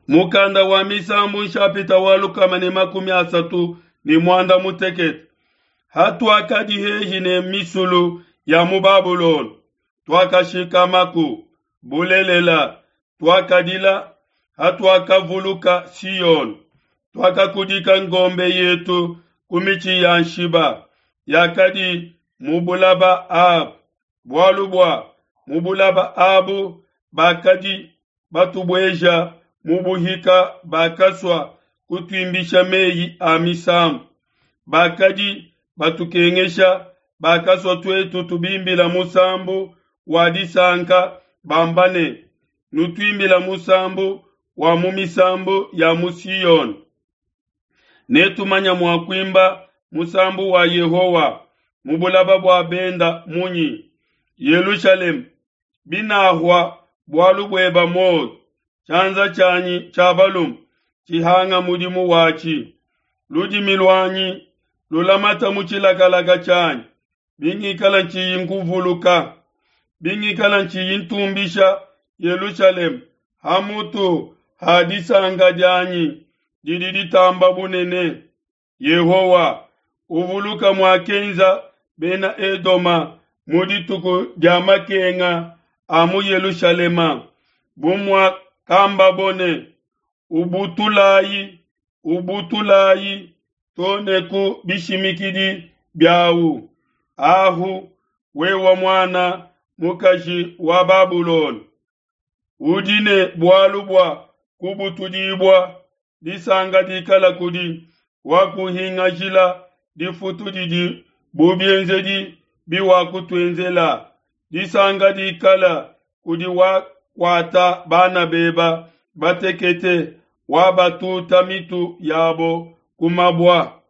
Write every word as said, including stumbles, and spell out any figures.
Mukanda wa Misambu nshapita wa lukama ne makumi asatu ne muanda mutekete. Hatuakadi hehi ne misulu ya mu Babulona, tuakashikamaku. Bulelela, tuakadila hatuakavuluka Siona. Tuakakudika ngombe yetu ku mitshi ya nshiba yakadi mu bulaba abu, bualu bua mu bulaba abu bakadi batubueja mu buhika, bakasua kutuimbisha mei a misambu. Bakadi batukengesha, bakasua tuetu tubimbila musambu wa disanka, bamba ne, Nutuimbile musambu wa mu misambu ya mu Siona. Netumanye mua kuimba musambu wa Yehowa mu bulaba bua benda munyi? Yelushalema, binahua bualu bueba muoyo, tshianza tshianyi tshia balume tshihanga mudimu watshi, ludimi luanyi lulamata mu tshilakalaka tshianyi, bingikala ntshiyi nkuvuluka, bingikala ntshiyi ntumbisha Yelushalema hamutu ha disanka dianyi didi ditamba bunene. Yehowa, uvuluka muakenza bena Edoma mu dituku dia makenga a mu Yelushalema, bu muakambabo ne, Ubutulayi, ubutulayi to ne ku bishimikidi biawu. Ahu, wewe muana mukaji wa Babulona, udi ne bualu bua kubutudibua, disanka dikala kudi wakuhingajila difutu didi bu bienzedi biwakutuenzela. Disanka dikala kudi wakuata bana beba batekete, wabatuta mitu yabo ku mabua.